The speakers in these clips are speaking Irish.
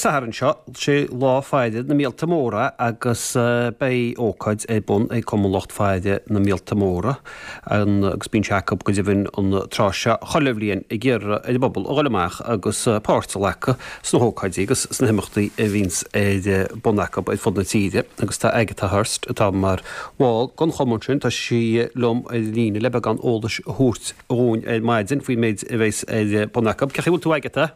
Sathairn seo, sé lá faire na míolta móra agus beidh ócáid ar bun ag Cumann Lucht Faire na Míolta Móra agus bíonn sé acu go deimhin an tráth seo chuile bhliain ag iarraidh ar an bpobal a dhul amach agus páirt a ghlacadh sna hócáidí agus sna himeachtaí a bhíonns ar bun acu ar fud na tíre agus tá Agatha Hurst atá mar bhall den chumann sin, tá sí liom ar líne le beagán eolais a thabhairt dhúinn ar maidin faoin méid a bheas ar bun acu. Cén chaoi a bhfuil tú Agatha?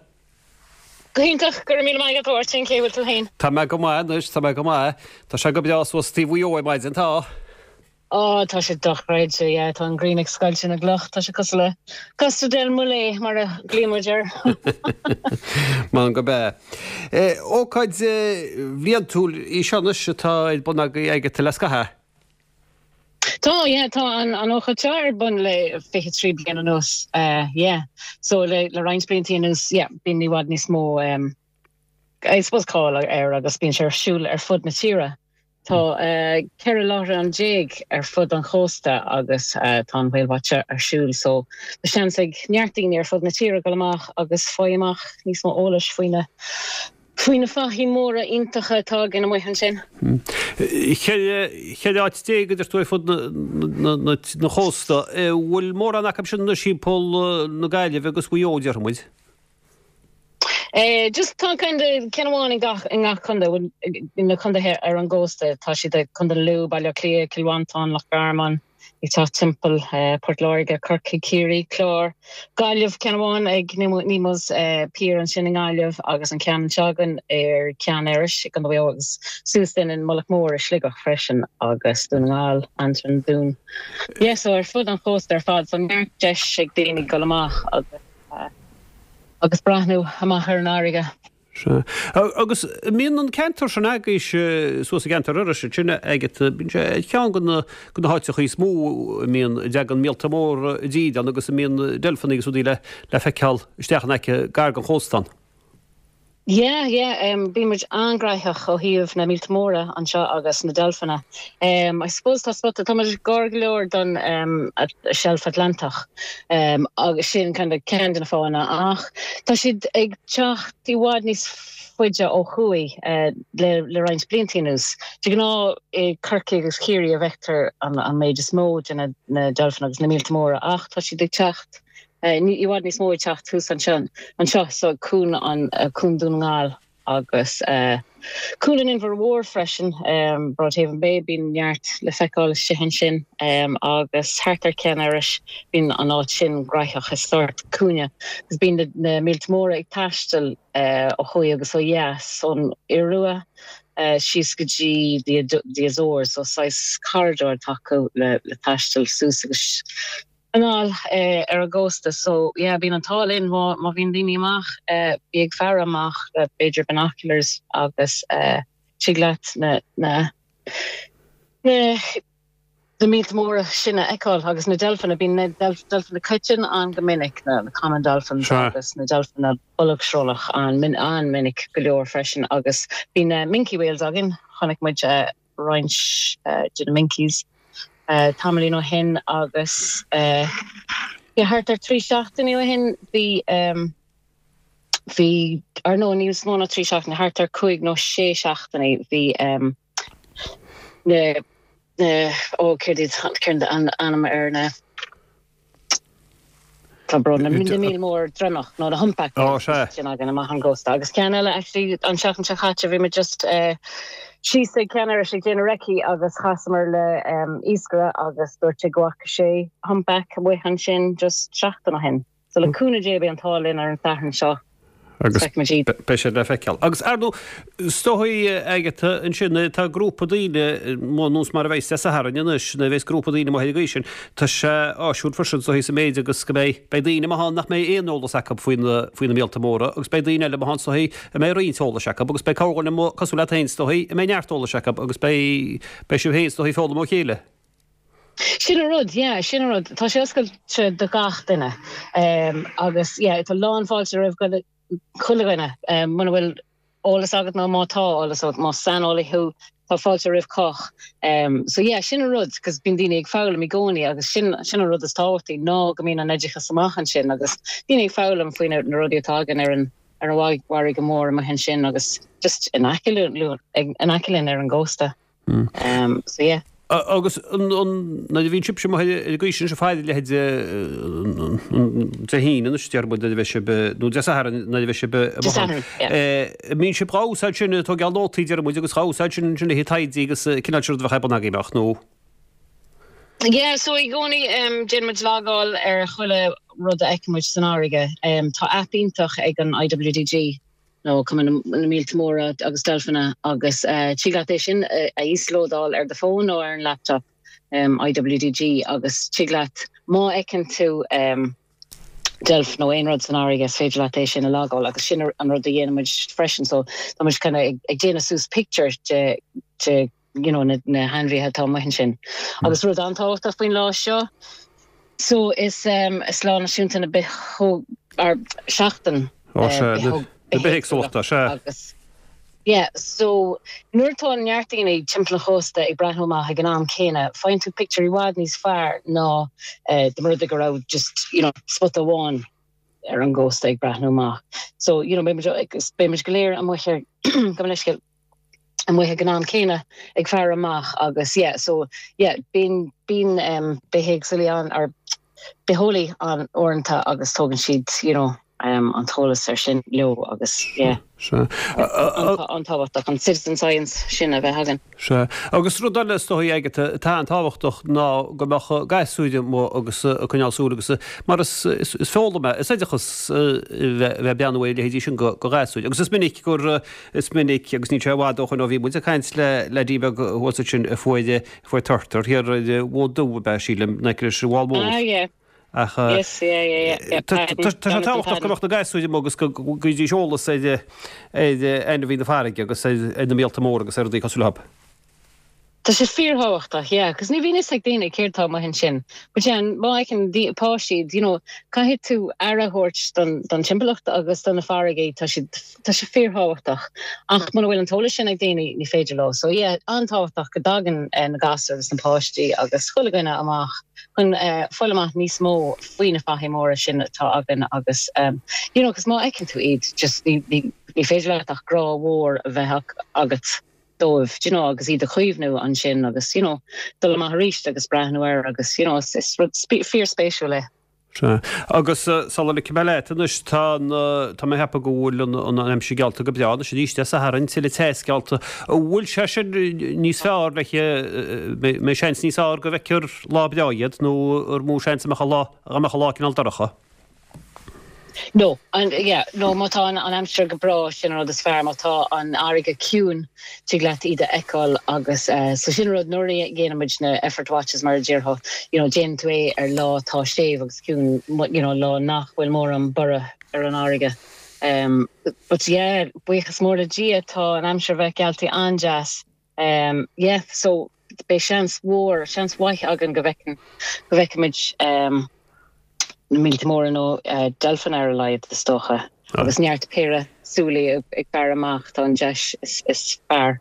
Go hiontach, go raibh míle maith agat a Mháirtín, cén chaoi a bhfuil tú féin? Tá mé go maith anois, tá mé go maith. Tá sé go breá suas taobh Mhaigh Eo ar maidin, tá? Á, tá sé dochreidte, yeah, tá an ghrian ag scoilteadh na gcloch, tá sé cosúil le Costa del Mole mar a ghlaonn muid air. M'anam gurb ea. Ócáid bhliantúil í seo anois atá ar bun agaibh Agatha le scaitheamh. Tá, yeah, tá an an ócáid seo ar bun le 23 bliain anuas, yeah. So le le roinnt blianta anuas, yeah, bíonn i bhfad níos mó um, I suppose cáil air agus bíonn sé ar siúl ar fud na tíre. Tá uh, 14 láithreán ar fud an chósta agus uh, tá an Whale Watch ar siúl, so tá seans ag neart daoine ar fud na tíre dul amach agus fáil amach níos mó eolais faoi na Faoi na fathaigh móra iontacha atá againn amuigh ansin. 14 áit a deir tú ar fud na chósta. Bhfuil mórán acu sin anois thimpeall na Gaillimhe agus Mhaigh Eo, déarfaidh muid? Just tá kind of ceann amháin i ngach i ngach contae, bhuel na contaetha ar an gcósta, tá siad i Contae Lú, Baile Átha Cliath, Cill Mhantáin, Loch Garman. ag teacht timpeall Port Láirge, Corcaigh, Ciarraí, Clár, Gaillimh, ceann amháin ag Nemo's Pier ansin i nGaillimh agus an ceann anseo againn ar Ceann Iorrais i gContae Mhaigh Eo agus suas linn in Mullach Mór i Sligeach freisin agus Dún na nGall, Antroim, Dún. Yeah, so ar fud an chósta ar fad, so neart deis ag daoine dul amach agus agus breathnú amach ar an fharraige. Sea. Agus an mbíonn an ceantar sin agaibhse suas i gceantar Iorrais ansin Agatha, bíonn sé ar cheann de na de na háiteacha is mó a mbíonn, a dtagann míolta móra i dtír ann agus a mbíonn deilfeanna agus rudaí le le feiceáil isteach in aice gar don chósta ann. Yeah, yeah, bíonn muid an-ghnóthach ó thaobh na míolta móra anseo agus na deilfeanna. I suppose tá spota, tá muid gar go leor don Shelf Atlantach agus sin kind of ceann de na fáthanna ach tá siad ag teacht i bhfad níos faide ó thuaidh le le roinnt blianta anuas. De ghnáth i Corcaigh agus Ciarraí a bhfeictear an an méid is mó de na na deilfeanna agus na míolta móra ach tá siad ag teacht i bhfad níos mó ag teacht thuas anseo anseo so cuan an cuan Dún na nGall. agus Cuan an Inbhir Mhóir freisin, Broadhaven Bay, bíonn neart le feiceáil istigh ansin agus thart ar Ceann Iorrais, bíonn an áit sin graitheach, is sórt cúinne agus bíonn na míolta móra ag taisteal ó thuaidh agus ó dheas ón Iorua síos go dtí the Azores, so saghas corridor atá acu le taisteal suas agus anall ar an gcósta so yeah bíonn an t-ádh linn má má bhíonn daoine amach bí ag faire amach le b'fhéidir binoculars agus tig leat na na na na míolta móra sin a fheiceáil agus na deilfeanna bíonn na deilfeanna coiteann ann go minic na na common dolphins agus na deilfeanna bolgshrólach an an-mhinic go leor freisin agus bíonn na minke whales againn chonaic muid roinnt de na minkies tamaillín ó shin agus thart ar 3 seachtainí ó shin bhí bhí ar nó níos mó ná 3 seachtainí, thart ar 5 nó 6 seachtainí bhí na na ó céard iad céard an ainm ar na Tá brón orm, na míol mór droimeach nó na humpback whales sin againn amach ón gcósta. Agus ceann eile actually an tseachtain seo chaite bhí muid just síos ag Ceann Iorrais ag déanamh recce agus chasamar le iascaire agus dúirt sé go bhfaca sé humpback amuigh ansin just seachtain ó shin. So le cúnamh Dé beidh an t-ádh linn ar an Satharn seo. Agus beidh siad le feiceáil. Agus ar ndóigh, is dóigh Agatha ansin, tá grúpa daoine, nós mar a bheas Dé Sathairn anois, nuair a bheas grúpa daoine amuigh ar an gcaoi sin, tá sé áisiúil freisin is dóigh sa méid agus go mbeidh, beidh daoine amuigh ann nach mbeidh aon eolas acu faoi na, faoi na míolta móra agus beidh daoine eile amuigh ann is dóigh a mbeidh roinnt eolais acu agus beidh corrdhuine amuigh cosúil leat féin is dóigh a mbeidh neart eolais acu agus beidh, beidh sibh féin is dóigh ag foghlaim ó chéile. Sin an rud, yeah, sin an rud. Tá sé oscailte do gach duine agus yeah, tá lán fáilte roimh chuile dhuine. Muna bhfuil eolas agat nó má tá eolas agat, más saineolaí thú, tá fáilte roimh chách. So yeah, sin an rud, cos bíonn daoine ag foghlaim i gcónaí agus sin sin an rud is tábhachtaí ná go mbíonn an oideachas amach ansin agus daoine ag foghlaim faoi na rudaí atá againn ar an. ar an bhfarraige mhór amuigh ansin agus just in aice in aice linn ar an gcósta. So yeah. Agus nuair a bhíonn sibhse amuigh ar an gcaoi sin, ag faire a leithéid Dé hAoine anois, déarfaidh muid, nuair a bheidh sibh, nó Dé Sathairn nuair a bheidh sibh Dé Sathairn, yeah. An mbíonn sibh dhá úsáid sin, ag tógáil nótaí, déarfaidh muid, agus dhá úsáid sin ansin le haghaidh taighde agus cineál sin rud a bheadh ar bun agaibh, ach nó? Yeah, so i gcónaí déanann muid logáil ar chuile rud a fheiceann muid san fharraige. Tá aip iontach ag an IWDG nó Cumann na Míolta Móra agus Deilfeanna agus tig leat é sin a íoslódáil ar do fón nó ar an laptop, IWDG, agus tig leat má fheiceann tú deilf nó aon rud san fharraige is féidir leat é sin a logáil agus sin an rud a dhéanann muid freisin so tá muid kind of ag déanamh suas picture de de you know, na, na hainmhithe atá amuigh ansin. Agus rud an-tábhachtach faoin lá seo, so is, um, is lá náisiúnta na bith, or seachtain Ó, sea, na, na bithéagsúlachta, sea. Agus, yeah, so nuair atá neart daoine timpeall an chósta ag breathnú amach ag an am céanna, faigheann tú pictiúr i bhfad níos fearr ná uh, dá mba rud é go raibh just, you know, spota amháin ar an gcósta ag breathnú amach. So, you know, beidh muid, beidh muid go léir amuigh ar, gabh mo leithscéal, amuigh ag an am céanna ag faire amach agus yeah so yeah bíonn bíonn um, bithéagsúlaí ann or bitheolaí ann uaireanta agus tógann siad you know um, an t-eolas ar sin leo agus yeah. Sea. An-tábhachtach an citizen science sin a bheith againn. Sea. Agus rud eile is dóigh Agatha atá an-tábhachtach ná go mbeadh gasúir amuigh agus ag coinneáil súil agus mar is is foghlaim é, is oideachas a bheith ag breathnú ar a leithéidí sin do ghasúir. Agus is minic gur Is minic, agus níl sé i bhfad ó shoin ó bhí muid ag caint le leaidí beag thuas ansin a fuair, a fuair turtar thiar ar an bhFód Dubh ab ea, sílim, in aice leis an bhFál Mór. Ah, yeah. Ach Yes, yeah, yeah, yeah, yeah. tá tá sé tábhachtach go mbeadh na gasúir amuigh agus go bhfaighidís eolas ar ar ainmhithe na farraige agus ar ar na míolta móra agus ar rudaí cosúil leo. Tá sé fíorthábhachtach, yeah, cos ní bhíonn fhios ag daoine céard tá amuigh ansin. But yeah, má fheiceann páistí, you know, caithfidh tú aire a thabhairt don, don timpeallacht agus do na farraigí, tá siad, tá sé fíorthábhachtach. Ach muna bhfuil an t-eolas sin ag daoine, ní féidir leo. So yeah, an-tábhachtach go dtagann na gasúir agus na páistí agus chuile dhuine amach chun fáil amach níos mó faoi na fathaigh móra sin atá againn agus, you know, cos má fheiceann tú iad, just ní, ní, ní féidir leat ach grá mhór a bheith agat. dóibh, do you know, agus iad a chaomhnú ansin agus, you know, dul amach arís agus breathnú air agus, you know, is, is rud fíorspéisiúil é. Sea. Agus sula ligfidh mé leat anois, tá an, tá mé ag ceapadh go bhfuil an, an aimsir geallta go breá anois arís Dé Sathairn, tuilleadh teas geallta. An bhfuil sé sin níos fearr le, mbeidh seans níos fearr go bhfeicfear lá breá iad nó ar mó seans a mbeadh an lá, dá mbeadh an lá cineál dorcha? No, an, yeah, no, má tá an, an aimsir go breá, sin an rud is fearr, má tá an fharraige ciúin, tig leat iad a fheiceáil agus eh, so sin an rud nuair a dhéanann muid na effort watches mar a déarfá, you know, déanann tú é ar lá atá séimh agus ciúin, you know, lá nach bhfuil mórán borradh ar an fharraige. Um, but yeah, buíochas mór le Dia, tá an aimsir a bheith gealltaí an-deas. Um, yeah, so beidh seans mhór, seans mhaith againn go bhfeiceann, go bhfeicfimid um, na míolta móra nó uh, deilfeanna ar a laghad is dócha. Agus neart péire súilí ag, ag faire amach tá an deis is, is fearr.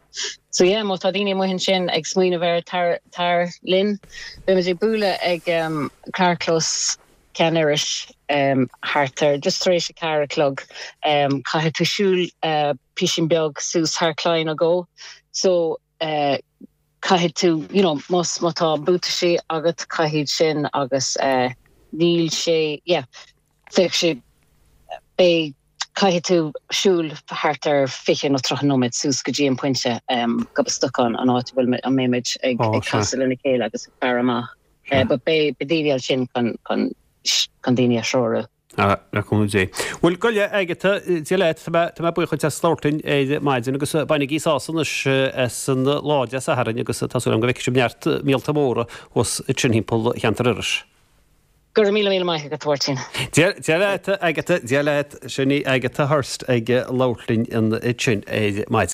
So yeah, má tá daoine amuigh ansin ag smaoineamh air tar, tar linn. Beimid ag bualadh ag um, carrchlós Ceann Iorrais um, thart ar just tar éis a ceathair a chlog. Um, caithfidh tú siúl uh, píosín beag suas thar claí nó dhó so eh caithfidh tú you know más má tá buataisí agat caithfidh sin agus eh níl sé yeah bheadh sé beidh caithfidh tú siúl thart ar 20 nó 30 nóiméad suas go dtí an pointe um Gob an Stocáin an áit a bhfuil a mbeimid ag ag casadh lena chéile agus ag faire amach eh but beidh beidh daoine ansin chun chun chun daoine a threorú. Ah, le cúnamh Dé. Bhuel, gabh i leith, Agatha, Dia leat, tá mé, tá mé buíoch duit as labhairt linn ar maidin agus bainigí sásamh anois as an lá Dé Sathairn agus tá súil agam go bhfeicfidh sibh neart míolta móra thuas ansin thimpeall cheantar Iorrais. Go raibh míle míle maith agat, a Mháirtín. Dia, Dia leat, Agatha, Dia leat, sin í Agatha Hurst ag labhairt linn ansin ar maidin.